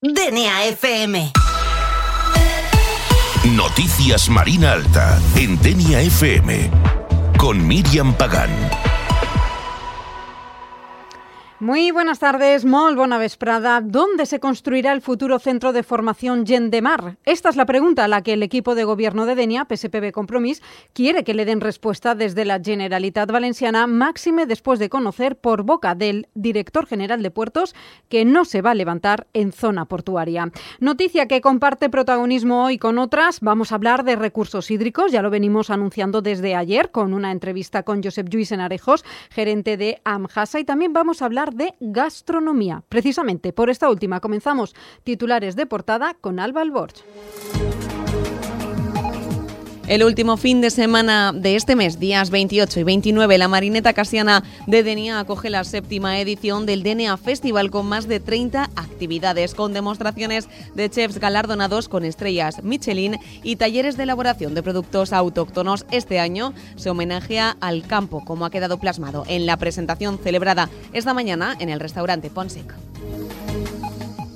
DNA FM. Noticias Marina Alta en DNA FM con Míriam Pagán. Muy buenas tardes, molt bona vesprada. ¿Dónde se construirá el futuro centro de formación Gent de Mar? Esta es la pregunta a la que el equipo de gobierno de Denia, PSPB Compromís, quiere que le den respuesta desde la Generalitat Valenciana, máxime después de conocer por boca del director general de Puertos que no se va a levantar en zona portuaria. Noticia que comparte protagonismo hoy con otras. Vamos a hablar de recursos hídricos, ya lo venimos anunciando desde ayer con una entrevista con Josep Lluís Enarejos, gerente de AMHASA, y también vamos a hablar de gastronomía. Precisamente por esta última comenzamos titulares de portada con Alba Alborch. El último fin de semana de este mes, días 28 y 29, la Marineta Casiana de Denia acoge la 7ª edición del DNA Festival con más de 30 actividades, con demostraciones de chefs galardonados con estrellas Michelin y talleres de elaboración de productos autóctonos. Este año se homenajea al campo, como ha quedado plasmado en la presentación celebrada esta mañana en el restaurante Ponsec.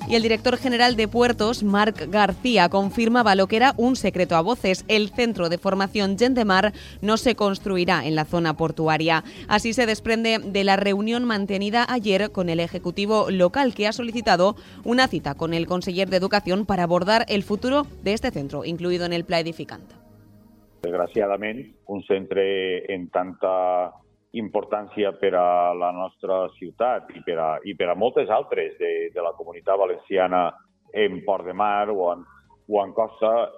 Y el director general de Puertos, Marc García, confirmaba lo que era un secreto a voces. El centro de formación Gent de Mar no se construirá en la zona portuaria. Así se desprende de la reunión mantenida ayer con el Ejecutivo local, que ha solicitado una cita con el conseller de Educación para abordar el futuro de este centro, incluido en el pla edificant. Desgraciadament, un centre en tanta importància per a la nostra ciutat i per a moltes altres de la comunitat valenciana en Port de Mar o en costa,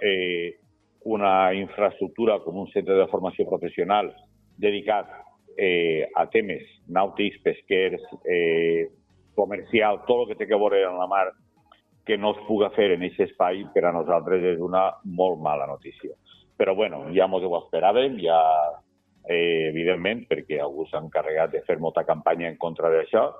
una infraestructura com un centre de formació professional dedicat a temes nàutics, pesquers, comercial, tot el que té que veure amb la mar, que no es puga fer en aquest espai, per a nosaltres és una molt mala notícia. Però bueno, ja ens ho esperàvem, ja evidentment, perquè algú s'ha encarregat de fer molta campanya en contra d'això.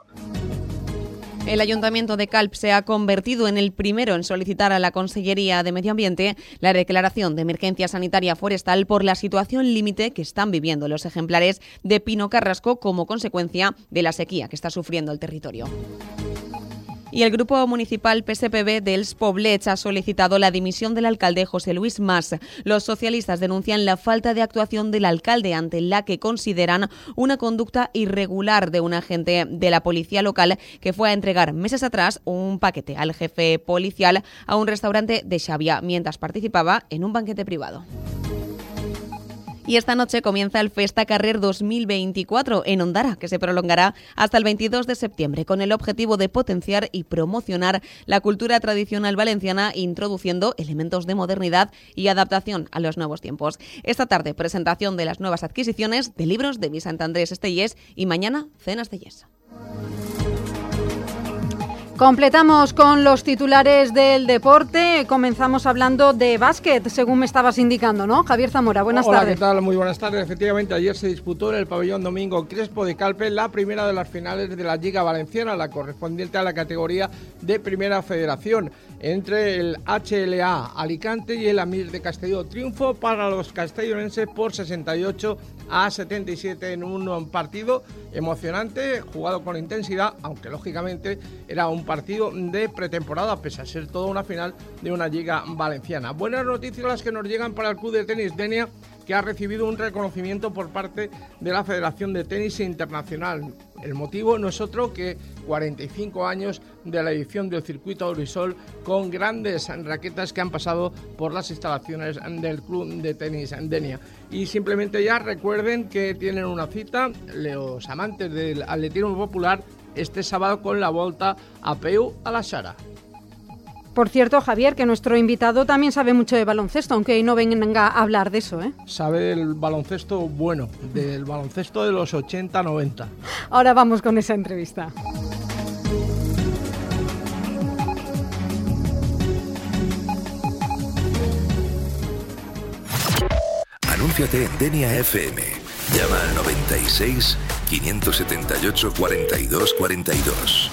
El Ayuntamiento de Calp se ha convertido en el primero en solicitar a la Consellería de Medio Ambiente la declaración de emergencia sanitaria forestal por la situación límite que están viviendo los ejemplares de pino carrasco como consecuencia de la sequía que está sufriendo el territorio. Y el Grupo Municipal PSPB dels Poblets ha solicitado la dimisión del alcalde José Luis Mas. Los socialistas denuncian la falta de actuación del alcalde, ante la que consideran una conducta irregular de un agente de la policía local que fue a entregar meses atrás un paquete al jefe policial a un restaurante de Xàbia mientras participaba en un banquete privado. Y esta noche comienza el Festa Carrer 2024 en Ondara, que se prolongará hasta el 22 de septiembre, con el objetivo de potenciar y promocionar la cultura tradicional valenciana, introduciendo elementos de modernidad y adaptación a los nuevos tiempos. Esta tarde, presentación de las nuevas adquisiciones de libros de Sant Andrés Estellés y mañana, cenas de Yes. Completamos con los titulares del deporte. Comenzamos hablando de básquet, según me estabas indicando, ¿no? Javier Zamora, buenas tardes. Hola, ¿qué tal? Muy buenas tardes. Efectivamente, ayer se disputó en el pabellón Domingo Crespo de Calpe la primera de las finales de la Liga Valenciana, la correspondiente a la categoría de Primera Federación, entre el HLA Alicante y el Amir de Castelló. Triunfo para los castellonenses por 68-77 en un partido emocionante, jugado con intensidad, aunque lógicamente era un partido de pretemporada, pese a ser toda una final de una Liga Valenciana. Buenas noticias las que nos llegan para el Club de Tenis Denia, que ha recibido un reconocimiento por parte de la Federación de Tenis Internacional. El motivo no es otro que 45 años de la edición del circuito Aurisol, con grandes raquetas que han pasado por las instalaciones del Club de Tenis Denia. Y simplemente ya recuerden que tienen una cita, los amantes del atletismo popular, este sábado con la Volta a Peu a la Sara. Por cierto, Javier, que nuestro invitado también sabe mucho de baloncesto, aunque hoy no venga a hablar de eso, ¿eh? Sabe del baloncesto bueno, del baloncesto de los 80-90. Ahora vamos con esa entrevista. Anúnciate en DNA FM. Llama al 96 578 42 42.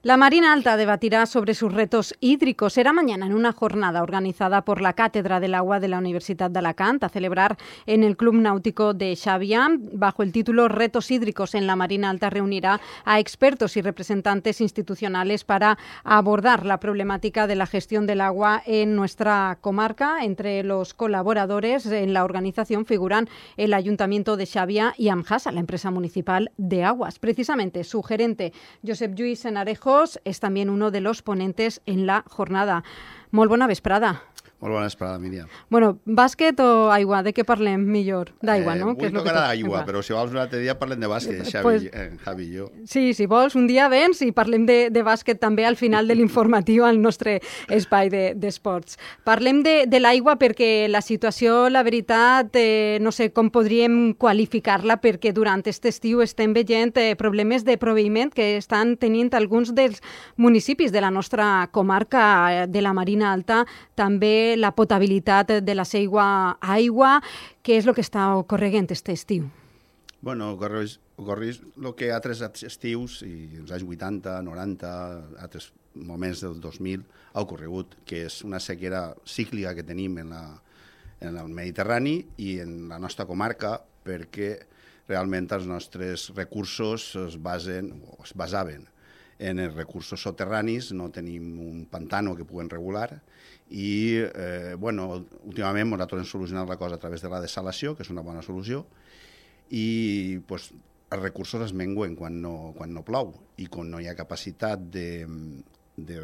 La Marina Alta debatirá sobre sus retos hídricos. Será mañana en una jornada organizada por la Cátedra del Agua de la Universidad de Alacant a celebrar en el Club Náutico de Xàbia. Bajo el título Retos hídricos en la Marina Alta reunirá a expertos y representantes institucionales para abordar la problemática de la gestión del agua en nuestra comarca. Entre los colaboradores en la organización figuran el Ayuntamiento de Xàbia y Amjasa, la empresa municipal de aguas. Precisamente su gerente, Josep Lluís Senarejos, es también uno de los ponentes en la jornada. Molt bona vesprada. Molt bona vesprada, Míriam. Bueno, bàsquet o aigua? De què parlem millor? D'aigua, no? Vull tocar d'aigua, però si vols un altre dia parlem de bàsquet, Javi i jo. Sí, si vols, un dia vens i parlem de bàsquet també al final de l'informatiu al nostre espai d'esports. Parlem de l'aigua perquè la situació, la veritat, no sé com podríem qualificar-la, perquè durant aquest estiu estem veient problemes de proveïment que estan tenint alguns dels municipis de la nostra comarca de la Marina Alta, també la potabilitat de la seva aigua. Què és el que està ocorrent aquest estiu? Bueno, ocorreix el que altres estius, i els anys 80, 90, altres moments del 2000, ha ocorregut, que és una sequera cíclica que tenim en el Mediterrani i en la nostra comarca, perquè realment els nostres recursos es basaven en els recursos soterranis, no tenim un pantano que puguem regular i, últimament nosaltres hem solucionat la cosa a través de la dessalació, que és una bona solució, i els recursos es menguen quan no plou i quan no hi ha capacitat de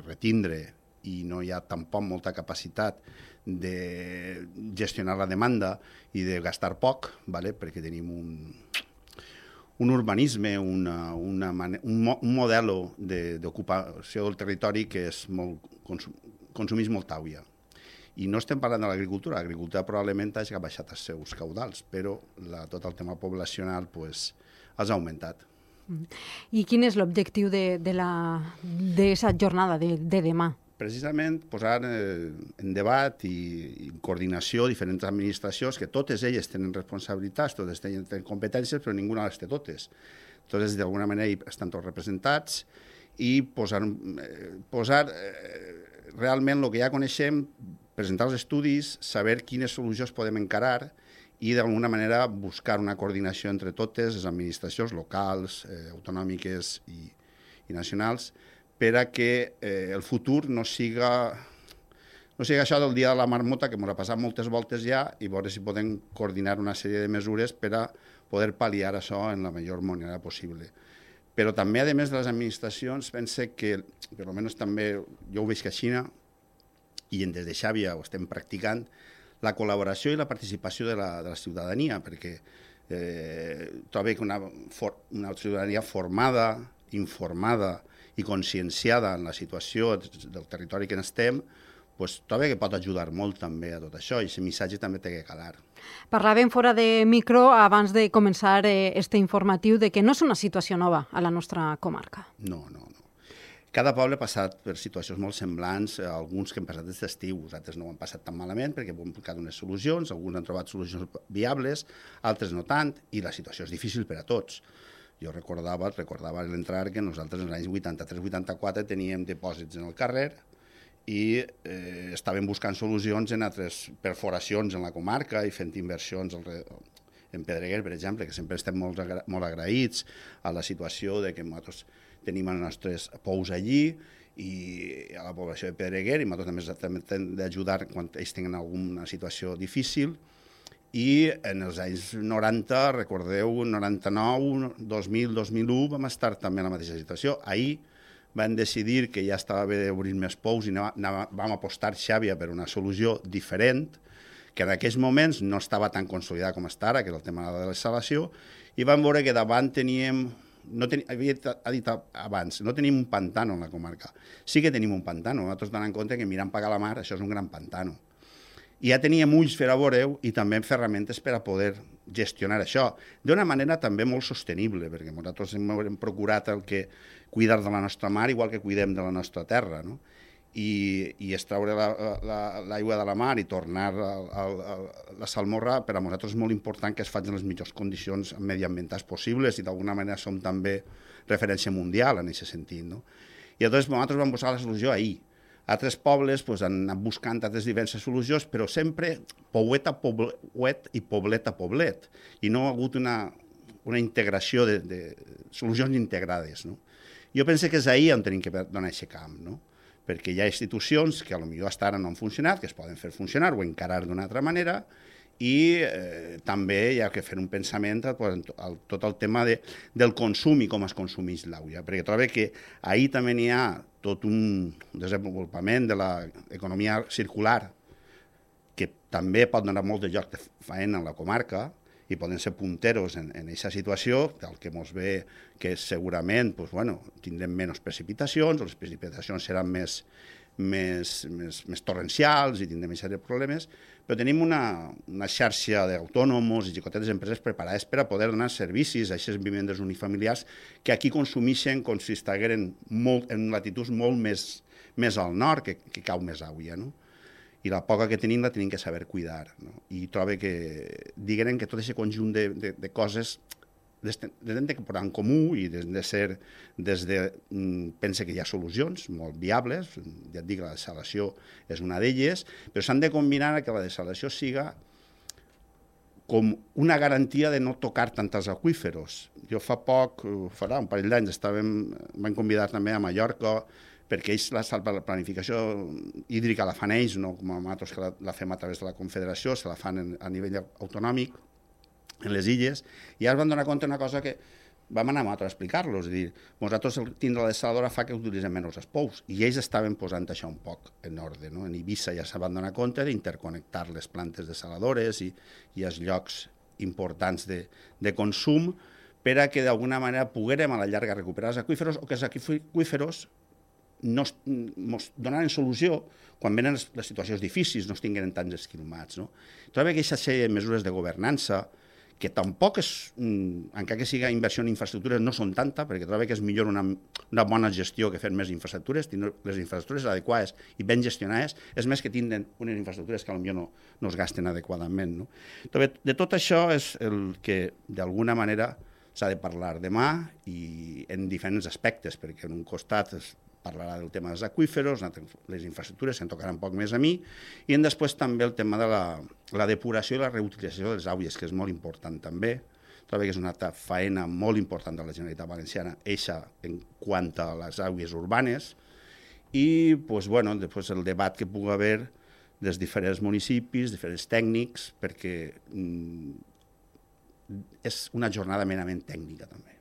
retindre i no hi ha tampoc molta capacitat de gestionar la demanda i de gastar poc, perquè tenim un urbanisme, un model d'ocupació del territori que és consumís molta aigua. I no estem parlant de l'agricultura probablement hagi baixat els seus caudals, però tot el tema poblacional ha augmentat. I quin és l'objectiu d'aquesta jornada de demà? Precisament posar en debat i en coordinació diferents administracions, que totes elles tenen responsabilitats, totes tenen competències, però ninguna les té totes. Totes, d'alguna manera, estan tots representats i posar realment el que ja coneixem, presentar els estudis, saber quines solucions podem encarar i, d'alguna manera, buscar una coordinació entre totes les administracions locals, autonòmiques i nacionals, per a que el futur no siga això del dia de la marmota, que ens ha passat moltes voltes ja, i veure si podem coordinar una sèrie de mesures per a poder pal·liar això en la millor manera possible. Però també, a més de les administracions, pense que, per almenys també jo ho veig que a Xina, i des de Xàbia ho estem practicant, la col·laboració i la participació de la ciutadania, perquè trobo que una ciutadania formada, informada i conscienciada en la situació del territori que estem, trobo que pot ajudar molt també a tot això i aquest missatge també té que calar. Parlàvem fora de micro abans de començar este informatiu de que no és una situació nova a la nostra comarca. No. Cada poble ha passat per situacions molt semblants, alguns que han passat des d'estiu, altres no ho han passat tan malament perquè han buscat unes solucions, alguns han trobat solucions viables, altres no tant, i la situació és difícil per a tots. Jo recordava a l'entrar que nosaltres en els anys 83-84 teníem dipòsits en el carrer i estàvem buscant solucions en altres perforacions en la comarca i fent inversions en Pedreguer, per exemple, que sempre estem molt agraïts a la situació de que nosaltres tenim els nostres pous allí i a la població de Pedreguer, i nosaltres també hem d'ajudar quan ells tenen alguna situació difícil. I en els anys 90, recordeu, 99, 2000, 2001, vam estar també en la mateixa situació. Ahir vam decidir que ja estava bé d'obrir més pous i vam apostar Xàbia per una solució diferent, que en aquells moments no estava tan consolidada com està ara, que és el tema de la dessalació, i vam veure que davant teníem, havia dit abans, no tenim un pantano en la comarca. Sí que tenim un pantano, nosaltres donem en compte que mirant pagar la mar, això és un gran pantano. I ja teníem ulls per a veure-ho i també ferramentes per a poder gestionar això d'una manera també molt sostenible, perquè nosaltres hem procurat cuidar de la nostra mar igual que cuidem de la nostra terra, no? I extraure l'aigua de la mar i tornar a la salmorra per a nosaltres és molt important que es facin les millors condicions mediambientals possibles i d'alguna manera som també referència mundial en aquest sentit, no? I llavors nosaltres vam buscar la solució ahir. Altres pobles han anat buscant altres diverses solucions, però sempre poblet a poblet i poblet a poblet. I no ha hagut una integració de solucions integrades. No? Jo penso que és ahir on tenim que donar aquest camp, no? Perquè hi ha institucions que potser fins ara no han funcionat, que es poden fer funcionar o encarar d'una altra manera, i també hi ha que fer un pensament a tot el tema del consum i com es consumeix l'aigua, perquè trobo que ahir també n'hi ha tot un desenvolupament de l'economia circular que també pot donar molt de lloc de feina a la comarca i poden ser punteros en aquesta situació, el que ens ve que segurament tindrem menys precipitacions, les precipitacions seran més torrencials i tindrem aquests problemes, però tenim una xarxa d'autònoms i xicotetes empreses preparades per a poder donar servicis a aquestes vivendes unifamiliars que aquí consumeixen com si estigueren en latituds molt més al nord, que cau més aigua, no? I la poca que tenim la tenim que saber cuidar, no? I trobo que, diguem que tot aquest conjunt de coses hem de posar en comú i pense que hi ha solucions molt viables, ja et dic, la desalació és una d'elles, però s'han de combinar que la desalació siga com una garantia de no tocar tant els aqüíferos. Jo farà un parell d'anys, vam convidar també a Mallorca, perquè ells la planificació hídrica la fan ells, no com nosaltres que la fem a través de la Confederació, se la fan a nivell autonòmic, en les illes, i ara es van donar compte d'una cosa que vam anar a explicar-los, és a dir, nosaltres tindre la desaladora fa que utilitzem menys els pous, i ells estaven posant això un poc en ordre, no? En Eivissa ja se van donar compte d'interconnectar les plantes desaladores i els llocs importants de consum per a que d'alguna manera poguérem a la llarga recuperar els aqüíferos o que els aqüíferos ens donaran solució quan venen les situacions difícils, no es tinguin tants esquilmats. No? Trobo que aquesta sèrie de mesures de governança, que tampoc és, encara que siga inversió en infraestructures, no són tanta, perquè trobo que és millor una bona gestió que fer més infraestructures, tenir les infraestructures adequades i ben gestionades, és més que tindre unes infraestructures que potser no es gasten adequadament. No? De tot això és el que, d'alguna manera, s'ha de parlar demà i en diferents aspectes, perquè en un costat es parlarà del tema dels aqüíferos, les infraestructures, se'n tocarà un poc més a mi, i després també el tema de la depuració i la reutilització de les aigües, que és molt important també. Trobo que és una faena molt important de la Generalitat Valenciana, eixa en quant a les aigües urbanes, i després el debat que pugui haver dels diferents municipis, diferents tècnics, perquè és una jornada merament tècnica també.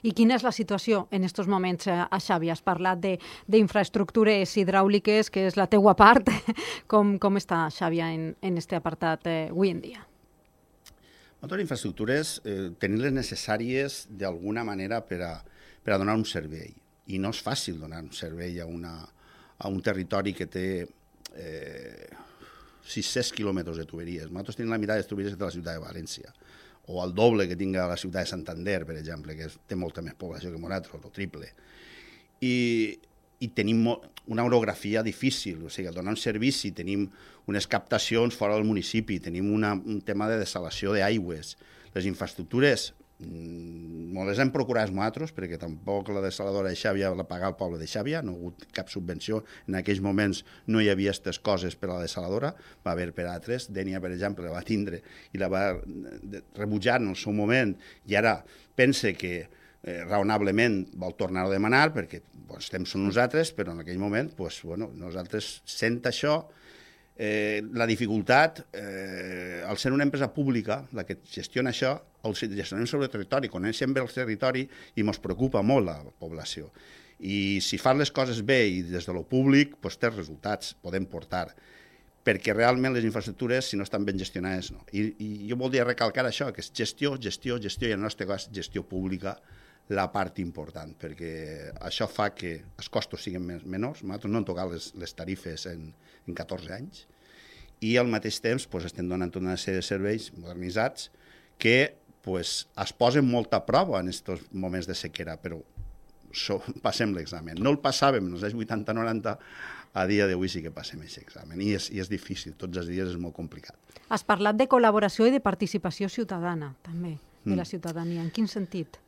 I quina és la situació en aquests moments a Xavi? Has parlat d'infraestructures hidràuliques, que és la teua part. Com està Xavi en aquest apartat avui en dia? Moltes infraestructures tenir-les necessàries d'alguna manera per a donar un servei. I no és fàcil donar un servei a un territori que té 600 quilòmetres de tuberies. Nosaltres tenim la meitat de tuberies que té la ciutat de València, o el doble que tinga la ciutat de Santander, per exemple, que té molta més població que nosaltres, o el triple. I tenim una orografia difícil, o sigui, al donar un servici tenim unes captacions fora del municipi, tenim un tema de desalació d'aigües. Les infraestructures no les hem procurat nosaltres, perquè tampoc la desaladora de Xàbia la paga el poble de Xàbia, no ha hagut cap subvenció, en aquells moments no hi havia aquestes coses per a la desaladora, va haver per altres, Dénia, per exemple, la va tindre i la va rebutjar en el seu moment, i ara pense que raonablement vol tornar a demanar, perquè els temps són nosaltres, però en aquell moment nosaltres sent això, la dificultat, al ser una empresa pública, la que gestiona això, el gestionem sobre el territori, coneixem bé el territori i ens preocupa molt la població. I si fan les coses bé i des de lo públic, té resultats, podem portar, perquè realment les infraestructures, si no estan ben gestionades, no. I jo voldria recalcar això, que és gestió, i en el nostre cas gestió pública, la part important, perquè això fa que els costos siguin menors. Nosaltres no hem tocat les tarifes en 14 anys i al mateix temps estem donant tota una sèrie de serveis modernitzats que es posen molta prova en aquests moments de sequera, però passem l'examen. No el passàvem en els anys 80-90, a dia d'avui sí que passem aquest examen i és difícil, tots els dies és molt complicat. Has parlat de col·laboració i de participació ciutadana, també, de la ciutadania. En quin sentit?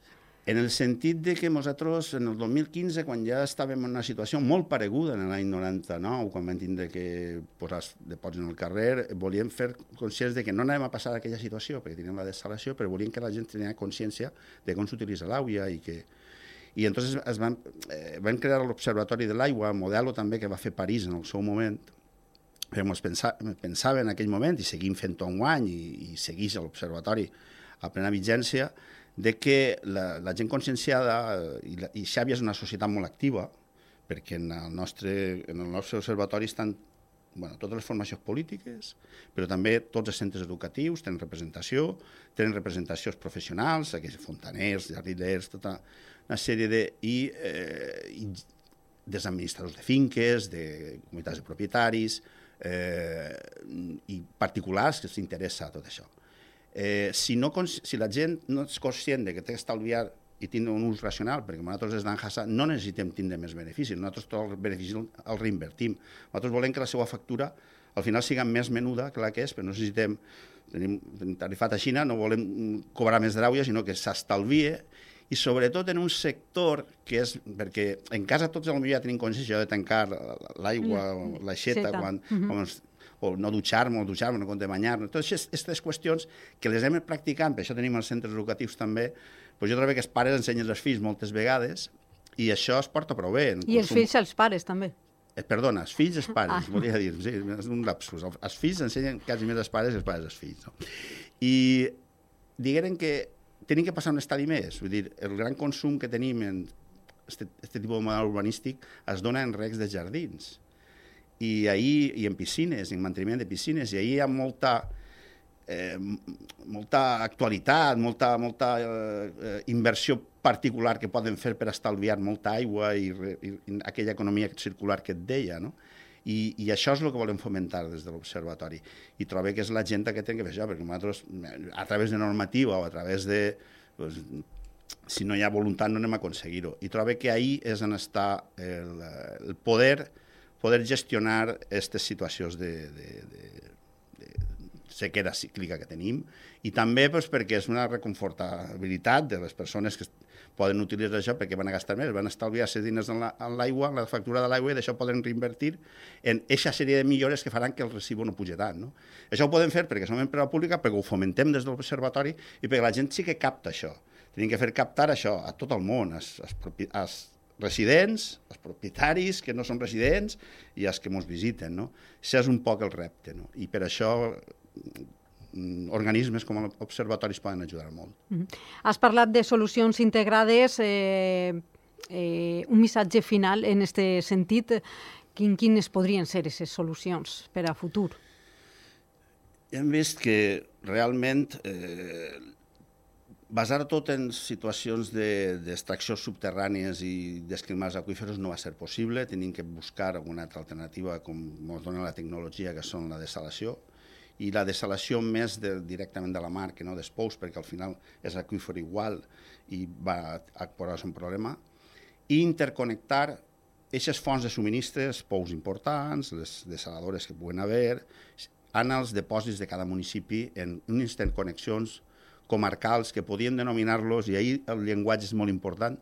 En el sentit de que nosaltres, en el 2015, quan ja estàvem en una situació molt pareguda en l'any 99, quan vam tindre que posar depòsits en el carrer, volíem fer conscients de que no anàvem a passar aquella situació, perquè teníem la dessalació, però volíem que la gent tenia consciència de com s'utilitza l'aigua i entonces vam crear l'Observatori de l'Aigua, model també que va fer París en el seu moment, però pensava en aquell moment, i seguim fent-ho enguany, i segueix l'Observatori a plena vigència, de que la gent conscienciada, i Xàbia és una societat molt activa, perquè en el nostre observatori estan totes les formacions polítiques, però també tots els centres educatius tenen representacions professionals, aquells fontaners, jardiners, tota una sèrie dels administradors de finques, de comunitats de propietaris i particulars que s'interessa tot això. Si la gent no és conscient de que té que estalviar i tindre un ús racional, perquè nosaltres des d'Anjasa no necessitem tindre més beneficis, nosaltres tots els beneficis els reinvertim. Nosaltres volem que la seva factura al final sigui més menuda que la que és, però no necessitem, tenim tarifat a Xina, no volem cobrar més d'aigua, sinó que s'estalvie, i sobretot en un sector que és, perquè en casa tots potser ja tenim consciència de tancar l'aigua, l'aixeta, o no dutxar-me, no compte de banyar-me. Totes aquestes qüestions que les anem practicant, per això tenim els centres educatius també, jo trobo que els pares ensenyen als fills moltes vegades i això es porta prou bé. I els fills als pares també. Perdona, els fills als pares, volia dir, sí, és un lapsus. Els fills ensenyen quasi més als pares i els pares als fills. I digueren que tenim que passar un estadi més, vull dir, el gran consum que tenim en aquest tipus de model urbanístic es dona en recs de jardins. I en piscines, en manteniment de piscines, i ahir hi ha molta actualitat, molta inversió particular que poden fer per estalviar molta aigua i aquella economia circular que et deia, no? I això és el que volem fomentar des de l'Observatori. I trobo que és la gent que té que fer això, perquè nosaltres, a través de normativa o a través de... si no hi ha voluntat no anem a aconseguir-ho. I trobo que ahir és on està el poder gestionar aquestes situacions de sequera cíclica que tenim i també perquè és una reconfortabilitat de les persones que poden utilitzar això perquè van a gastar més, van estalviar-se diners en l'aigua, en la factura de l'aigua i d'això poden reinvertir en aquesta sèrie de millores que faran que el recibo no pugi tant. No? Això ho podem fer perquè som empresa pública, perquè ho fomentem des de l'Observatori i perquè la gent sí que capta això. Tenim que fer captar això a tot el món, als residents, els propietaris que no són residents i els que ens visiten. No? Això és un poc el repte. No? I per això organismes com l'Observatori poden ajudar molt. Has parlat de solucions integrades, un missatge final en aquest sentit. Quines podrien ser aquestes solucions per a futur? Hem vist que realment basar tot en situacions d'extraccions subterrànies i desclimats aqüífers no va ser possible. Tenim que buscar alguna altra alternativa com ens dona la tecnologia, que són la dessalació, i la dessalació més directament de la mar que no dels pous, perquè al final és aqüífer igual i va posar-se un problema, i interconnectar aquestes fonts de subministres, pous importants, les dessaladores que puguen haver, en els depòsits de cada municipi en unes interconnexions comarcals que podíem denominar-los, i ahir el llenguatge és molt important,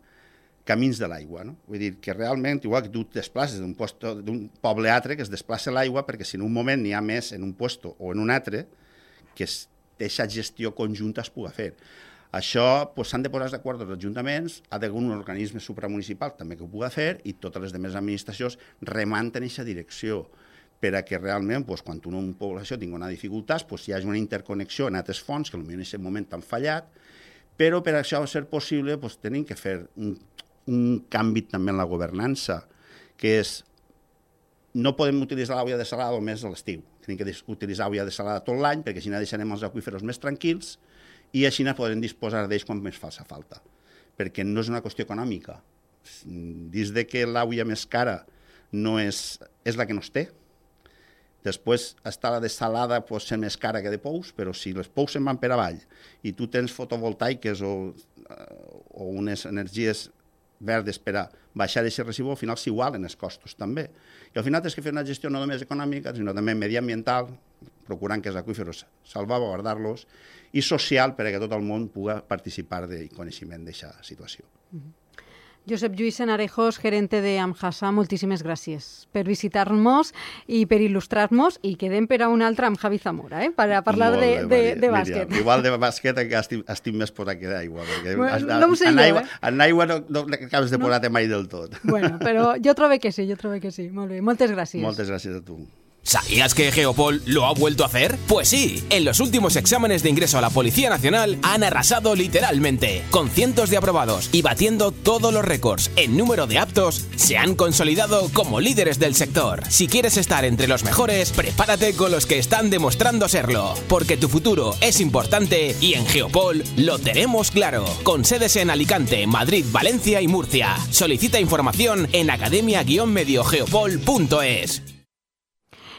camins de l'aigua. No? Vull dir que realment, igual que tu et desplaces d'un poble a altre, que es desplaça l'aigua, perquè si en un moment n'hi ha més en un lloc o en un altre, que aquesta gestió conjunta es pugui fer. Això s'han de posar d'acord els ajuntaments, ha d'haver un organisme supramunicipal també que ho pugui fer, i totes les altres administracions remant en aquesta direcció, per a que realment, quan una població tingui una dificultat, hi hagi una interconnexió en altres fonts que potser en aquest moment han fallat, però per això ser possible tenim que fer un canvi també en la governança, que és no podem utilitzar l'aigua dessalada només a l'estiu, tenim que utilitzar aigua dessalada tot l'any, perquè així deixarem els aqüífers més tranquils i així podrem disposar d'ells quan més faci falta, perquè no és una qüestió econòmica. Dins de que l'aigua més cara no és la que no es té. Després està la dessalada, pot ser més cara que de pous, però si les pous se'n van per avall i tu tens fotovoltaiques o unes energies verdes per a baixar aquest residu, al final s'igualen els costos també. I al final tens que fer una gestió no només econòmica, sinó també mediambiental, procurant que els aqüífers salvaguardar-los, i social perquè tot el món pugui participar del coneixement d'aquesta situació. Josep Lluís Senarejos, gerente de Amjasa, moltíssimes gràcies per visitar-nos i per il·lustrar-nos, i quedem per a un altre amb Javi Zamora, per a parlar de bàsquet. Miriam, igual de bàsquet estic més posat que d'aigua, perquè no ho sé en aigua no acabes de posar-te mai del tot. Bueno, però jo trobo que sí, Molt bé, moltes gràcies. Moltes gràcies a tu. ¿Sabías que Geopol lo ha vuelto a hacer? Pues sí, en los últimos exámenes de ingreso a la Policía Nacional han arrasado literalmente, con cientos de aprobados y batiendo todos los récords en número de aptos, se han consolidado como líderes del sector. Si quieres estar entre los mejores, prepárate con los que están demostrando serlo, porque tu futuro es importante y en Geopol lo tenemos claro, con sedes en Alicante, Madrid, Valencia y Murcia. Solicita información en academia-mediogeopol.es.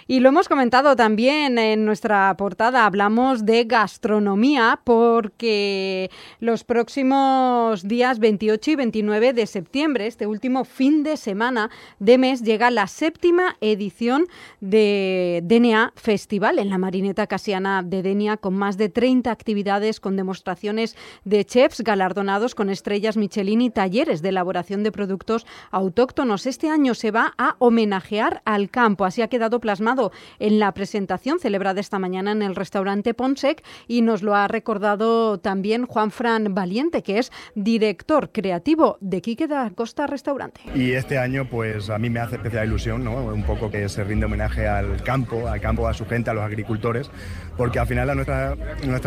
Y lo hemos comentado también en nuestra portada, hablamos de gastronomía porque los próximos días 28 y 29 de septiembre, este último fin de semana de mes, llega la 7ª edición de Denia Festival en la Marineta Casiana de Denia, con más de 30 actividades, con demostraciones de chefs galardonados con estrellas Michelin y talleres de elaboración de productos autóctonos. Este año se va a homenajear al campo, así ha quedado plasmado en la presentación celebrada esta mañana en el restaurante Ponsec, y nos lo ha recordado también Juanfran Valiente, que es director creativo de Quique da Costa Restaurante. Y este año pues a mí me hace especial ilusión, ¿no? Un poco que se rinde homenaje al campo, a su gente, a los agricultores, porque al final nuestra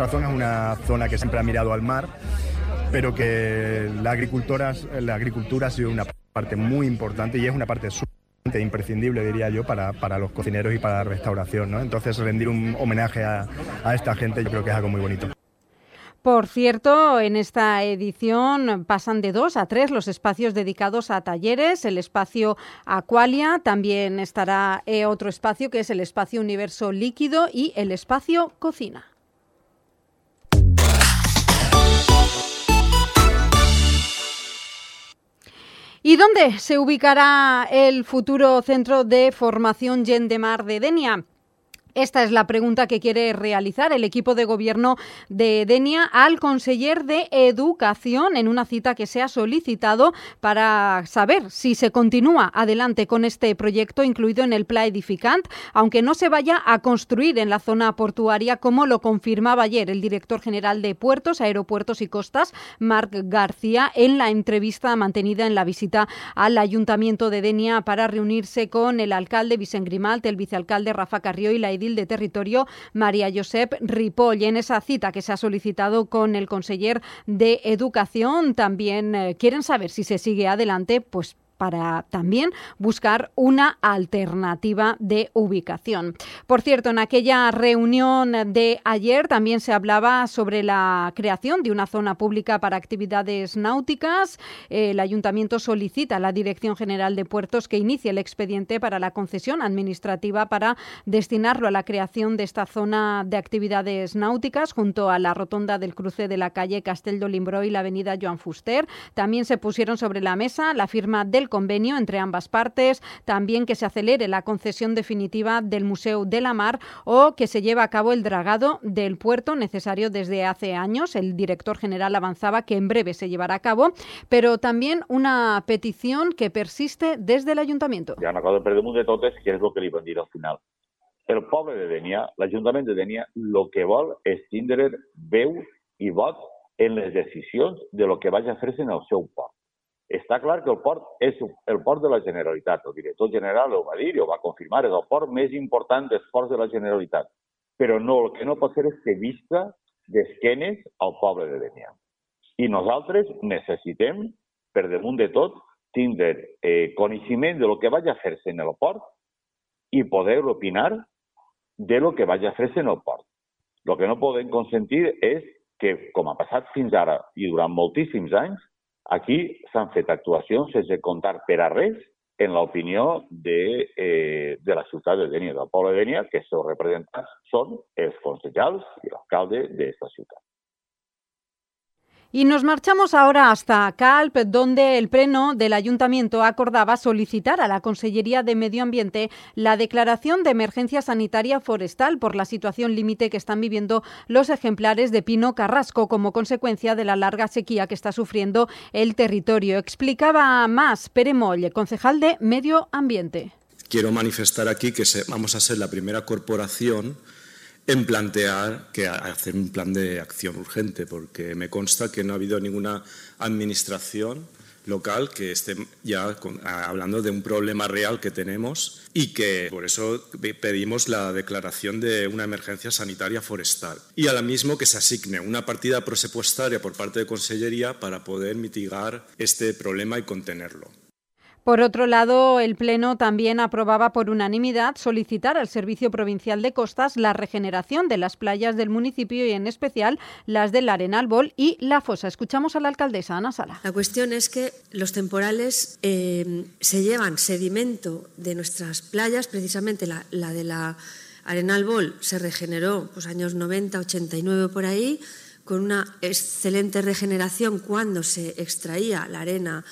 zona es una zona que siempre ha mirado al mar, pero que la agricultura ha sido una parte muy importante y es una parte imprescindible, diría yo, para los cocineros y para la restauración, ¿no? Entonces, rendir un homenaje a esta gente yo creo que es algo muy bonito. Por cierto, en esta edición pasan de 2 a 3 los espacios dedicados a talleres. El espacio Aqualia, también estará otro espacio que es el espacio Universo Líquido y el espacio Cocina. ¿Y dónde se ubicará el futuro centro de formación Gent de Mar de Denia? Esta es la pregunta que quiere realizar el equipo de gobierno de Denia al conseller de Educación en una cita que se ha solicitado para saber si se continúa adelante con este proyecto incluido en el Pla Edificant, aunque no se vaya a construir en la zona portuaria, como lo confirmaba ayer el director general de Puertos, Aeropuertos y Costas, Marc García, en la entrevista mantenida en la visita al Ayuntamiento de Denia para reunirse con el alcalde Vicent Grimalt, el vicealcalde Rafa Carrió y la de Territorio María Josep Ripoll. En esa cita que se ha solicitado con el conseller de Educación también quieren saber si se sigue adelante, pues para también buscar una alternativa de ubicación. Por cierto, en aquella reunión de ayer también se hablaba sobre la creación de una zona pública para actividades náuticas. El Ayuntamiento solicita a la Dirección General de Puertos que inicie el expediente para la concesión administrativa para destinarlo a la creación de esta zona de actividades náuticas junto a la rotonda del cruce de la calle Castell d'Olimbró y la avenida Joan Fuster. También se pusieron sobre la mesa la firma del convenio entre ambas partes, también que se acelere la concesión definitiva del Museo de la Mar o que se lleve a cabo el dragado del puerto necesario desde hace años. El director general avanzaba que en breve se llevará a cabo, pero también una petición que persiste desde el Ayuntamiento. Hi ha una cosa per damunt de tot és què és el que li van dir al final. El poble de Denia, l'Ajuntament de Denia, el que vol és tindre veu i vot en les decisions de lo que vagi a fer-se en el seu port. Està clar que el port és el port de la Generalitat. El director general ho va dir i ho va confirmar. És el port més important dels ports de la Generalitat. Però no, el que no pot ser és que visca d'esquenes al poble de Denia. I nosaltres necessitem, per damunt de tot, tindre coneixement de lo que vagi a fer-se en el port i poder opinar de lo que vagi a fer-se en el port. El que no podem consentir és que, com ha passat fins ara i durant moltíssims anys, aquí s'han fet actuacions sense comptar per a res en l'opinió de la ciutat de Denia, del poble de Denia, que els seus representants són els concejals i l'alcalde d'aquesta ciutat. Y nos marchamos ahora hasta Calp, donde el Pleno del Ayuntamiento acordaba solicitar a la Consellería de Medio Ambiente la declaración de emergencia sanitaria forestal por la situación límite que están viviendo los ejemplares de pino carrasco como consecuencia de la larga sequía que está sufriendo el territorio. Explicaba más Pere Moll, concejal de Medio Ambiente. Quiero manifestar aquí que vamos a ser la primera corporación en plantear que hacer un plan de acción urgente, porque me consta que no ha habido ninguna administración local que esté ya hablando de un problema real que tenemos y que por eso pedimos la declaración de una emergencia sanitaria forestal y a la misma que se asigne una partida presupuestaria por parte de Consellería para poder mitigar este problema y contenerlo. Por otro lado, el Pleno también aprobaba por unanimidad solicitar al Servicio Provincial de Costas la regeneración de las playas del municipio y en especial las del Arenal Bol y La Fosa. Escuchamos a la alcaldesa Ana Sala. La cuestión es que los temporales se llevan sedimento de nuestras playas, precisamente la de la Arenal Bol se regeneró años 90, 89 por ahí, con una excelente regeneración cuando se extraía la arena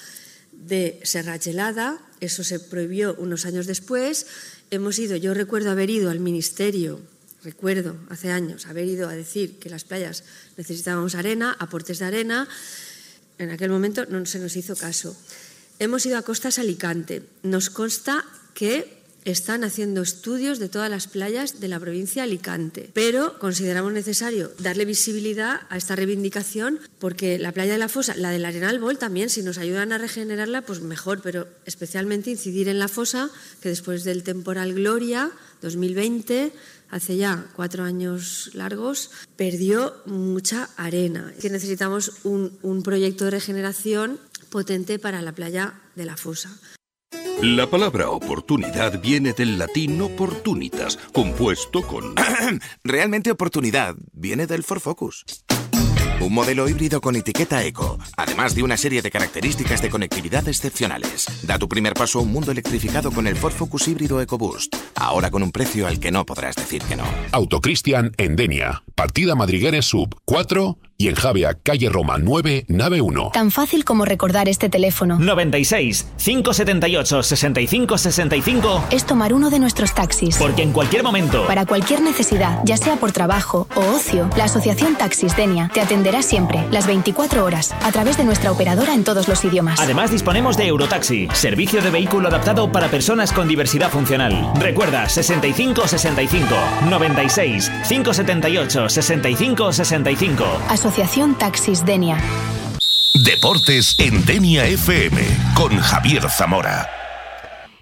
de Serra Gelada. Eso se prohibió unos años después. Yo recuerdo haber ido al Ministerio, hace años, haber ido a decir que las playas necesitábamos arena, aportes de arena. En aquel momento no se nos hizo caso. Hemos ido a Costas Alicante. Nos consta que están haciendo estudios de todas las playas de la provincia de Alicante, pero consideramos necesario darle visibilidad a esta reivindicación porque la playa de La Fosa, la del Arenal Bol también, si nos ayudan a regenerarla, pues mejor, pero especialmente incidir en La Fosa, que después del temporal Gloria 2020, hace ya 4 años largos, perdió mucha arena. Que necesitamos un proyecto de regeneración potente para la playa de La Fosa. La palabra oportunidad viene del latín opportunitas, compuesto con... Realmente oportunidad viene del Ford Focus. Un modelo híbrido con etiqueta eco, además de una serie de características de conectividad excepcionales. Da tu primer paso a un mundo electrificado con el Ford Focus híbrido EcoBoost, ahora con un precio al que no podrás decir que no. Autocristian en Denia, partida Madrigueres Sub 4 y en Javia, calle Roma 9, nave 1. Tan fácil como recordar este teléfono. 96 578 65 65. Es tomar uno de nuestros taxis. Porque en cualquier momento, para cualquier necesidad, ya sea por trabajo o ocio, la Asociación Taxis Denia te atenderá siempre, las 24 horas, a través de nuestra operadora en todos los idiomas. Además disponemos de Eurotaxi, servicio de vehículo adaptado para personas con diversidad funcional. Recuerda, 65 65 96 578 65 65. Asociación Taxis Denia. Deportes en Denia FM con Javier Zamora.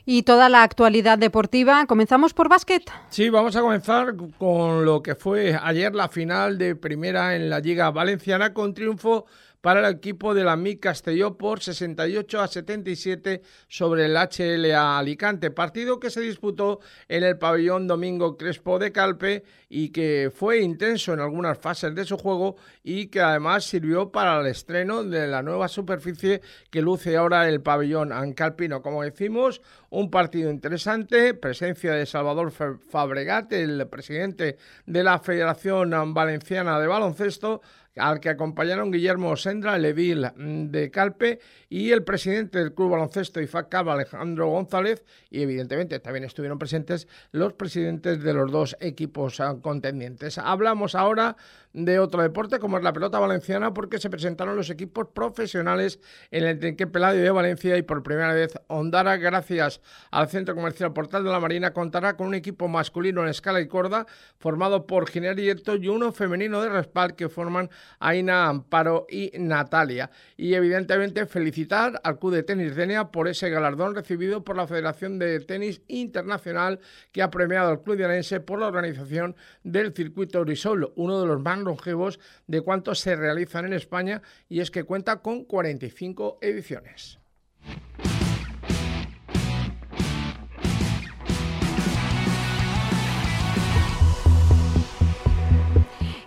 Y toda la actualidad deportiva. ¿Comenzamos por básquet? Sí, vamos a comenzar con lo que fue ayer la final de primera en la Liga Valenciana, con triunfo para el equipo de la MIC Castelló por 68-77 sobre el HLA Alicante, partido que se disputó en el pabellón Domingo Crespo de Calpe y que fue intenso en algunas fases de su juego y que además sirvió para el estreno de la nueva superficie que luce ahora el pabellón ancalpino. Como decimos, un partido interesante, presencia de Salvador Fabregat, el presidente de la Federación Valenciana de Baloncesto, al que acompañaron Guillermo Sendra, el edil de Calpe, y el presidente del Club Baloncesto IFACAB, Alejandro González, y evidentemente también estuvieron presentes los presidentes de los dos equipos contendientes. Hablamos ahora de otro deporte como es la pelota valenciana, porque se presentaron los equipos profesionales en el Tenque Peladio de Valencia y por primera vez Ondara, gracias al Centro Comercial Portal de la Marina, contará con un equipo masculino en escala y corda formado por Ginés Hierto y uno femenino de respaldo que forman Aina, Amparo y Natalia. Y evidentemente felicitar al Club de Tenis Denia por ese galardón recibido por la Federación de Tenis Internacional, que ha premiado al Club Dienense por la organización del circuito Orisol, uno de los más longevos de cuantos se realizan en España, y es que cuenta con 45 ediciones.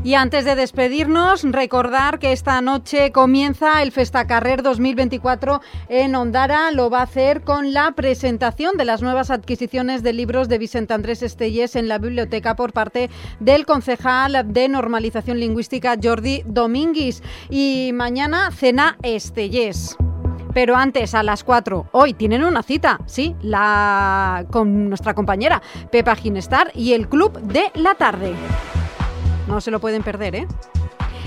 Y antes de despedirnos, recordar que esta noche comienza el Festacarrer 2024 en Ondara. Lo va a hacer con la presentación de las nuevas adquisiciones de libros de Vicent Andrés Estellés en la biblioteca por parte del concejal de Normalización Lingüística Jordi Domínguez. Y mañana cena Estellés. Pero antes, a las 4, hoy tienen una cita, sí, con nuestra compañera Pepa Ginestar y el Club de la Tarde. No se lo pueden perder, ¿eh?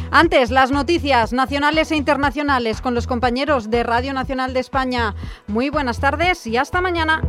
Antes, las noticias nacionales e internacionales con los compañeros de Radio Nacional de España. Muy buenas tardes y hasta mañana.